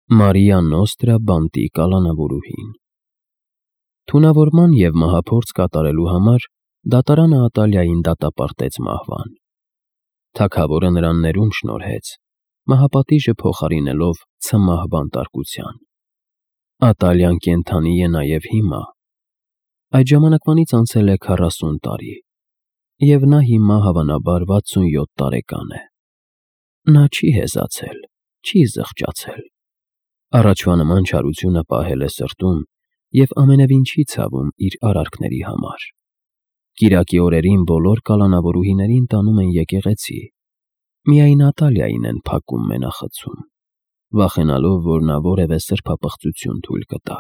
Մարիա Նոստրա բանտի կալանավորուհին։ Թունավորման և մահափորձ կատարելու համար դատարանը Ատալիային դատապարտեց մահվան։ Թագավորը նրան ներում շնորհեց, մահապատիժը փոխարինելով ցմահ բանտարկության։ Ատալիան կենդանի է նաև հիմա։ Այդ ժամանակվանից անցել է 40 տարի, և նա հիմա հավանաբար 67 տարեկան է։ Նա չի հեզացել, չի զղջացել։ Առաջվա նման չարությունը պահել է սրտում և ամենևին չի ցավում իր արարքների համար։ Կիրակի օրերին բոլոր կալանավորուհիներին տանում են եկեղեցի, միայն Ատալիային են փակում մենախցում, վախենալով, որ նա որևէ սրբապղծություն թույլ կտա։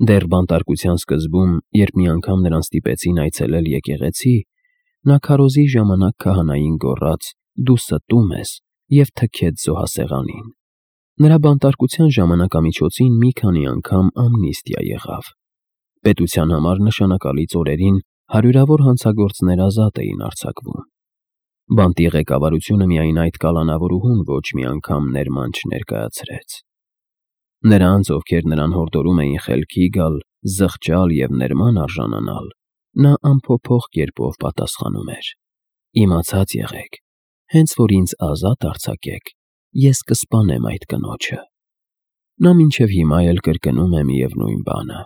Դեռ բանտարկության սկզբում, երբ մի անգամ նրան ստիպեցին այցելել եկեղեցի, նա քարոզի ժամանակ քահանային գոռաց. «Դու ստում ես» և թքեց զոհասեղանին։ Նրա բանտարկության ժամանակամիջոցին մի քանի անգամ ամնիստիա եղավ։ Պետության համար նշանակալից օրերին հարյուրավոր հանցագործներ ազատ էին արձակվում։ Բանտի ղեկավարությունը միայն այդ կալանավորուհուն ոչ մի անգամ ներման չներկայացրեց։ Նրանց, ովքեր նրան հորդորում էին խելքի գալ, զղջալ և ներման արժանանալ, նա անփոփոխ կերպով պատասխանում էր. «Իմացած եղեք, հենց որ ինձ ազատ արձակեք, ես կսպանեմ այդ կնոջը»։ Նա մինչև հիմա էլ կրկնում է միևնույն բանը։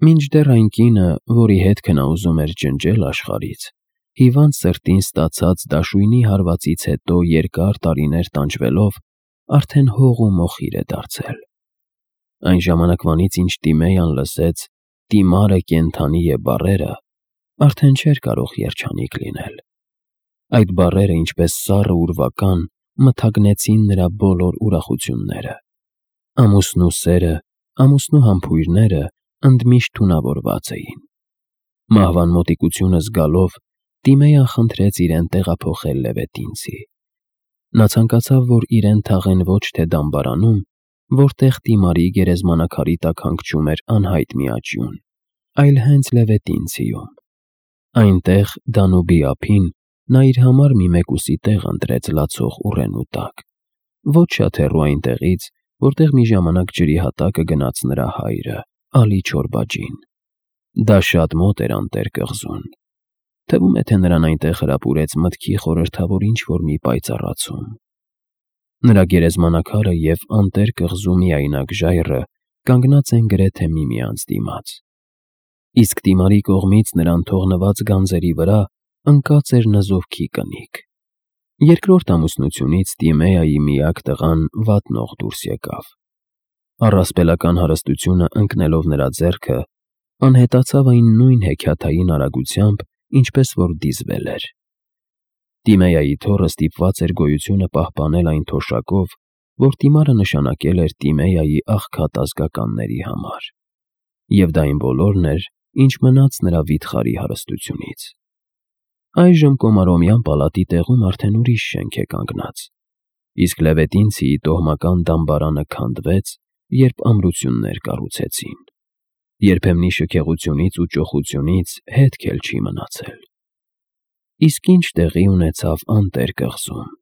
Մինչդեռ այն կինը, որի հետքը նա ուզում էր ջնջել աշխարհից, հիվանդ սրտին ստացած դաշույնի հարվածից հետո երկար տարիներ տանջվելով, արդեն հող ու մոխիր է դարձել։ Այն ժամանակվանից, ինչ Տիմեյան լսեց «Տիմարը կենդանի է» բառերը, արդեն չէր կարող երջանիկ լինել։ Այդ բառերը, ինչպես սառը ուրվական, մթագնեցին նրա բոլոր ուրախությունները։ Ամուսնու սերը, ամուսնու համբույրները ընդմիշտ թունավորված էին։ Մահվան մոտիկությունը զգալով, Տիմեյան խնդրեց իրեն տեղափոխել Լևետինցի։ Նա ցանկացավ, որ իրեն թաղեն ոչ թե դամբարանում, որտեղ Տիմարի գերեզմանակարի տակ հանգչում էր անհայտ մի աճյուն, այլ հենց Լևետինցիում։ Այնտեղ, Դանուբի ափին, նա իր համար մի մեկուսի տեղ ընտրեց լացող ուռենու տակ, ոչ շատ հեռու այնտեղից, որտեղ մի ժամանակ ջրի հատակը գնաց նրա հայրը՝ Ալի Չորբաջին։ Դա շատ մոտ էր անտեր կղզուն։ Թվում է, թե նրան այնտեղ հրապուրեց մտքի խորհրդավոր ինչ-որ մի պայծառացում։ Նրա գերեզմանակարը և անտեր կղզու միայնակ ժայռը կանգնած են գրեթե միմյանց դիմաց։ Իսկ Տիմարի կողմից նրան թողնված գանձերի վրա ընկած էր նզովքի կնիկ։ Երկրորդ ամուսնությունից Տիմեայի միակ տղան վատնող դուրս եկավ։ Առասպելական հարստությունը ընկնելով նրա ձեռքը, անհետացավ այն նույն հեքիաթային արագությամբ, ինչպես որ դիզվել էր։ Տիմեայի թոռը ստիպված էր գոյությունը պահպանել այն թոշակով, որ Տիմարը նշանակել էր Տիմեայի աղքատ ազգականների համար։ Եվ դա այն բոլորն էր, ինչ մնաց նրա վիթխարի հարստությունից։ Այժմ Կոմարոմյան պալատի տեղում արդեն ուրիշ շենք է կանգնած, իսկ Լևետինցիի տոհմական դամբարանը քանդվեց, երբ ամրություններ կառուցեցին։ Երբեմնի շքեղությունից ու ճոխությունից հետք էլ չի մնացել։ Իսկ ինչ տեղի ունեցավ անտեր կղզում։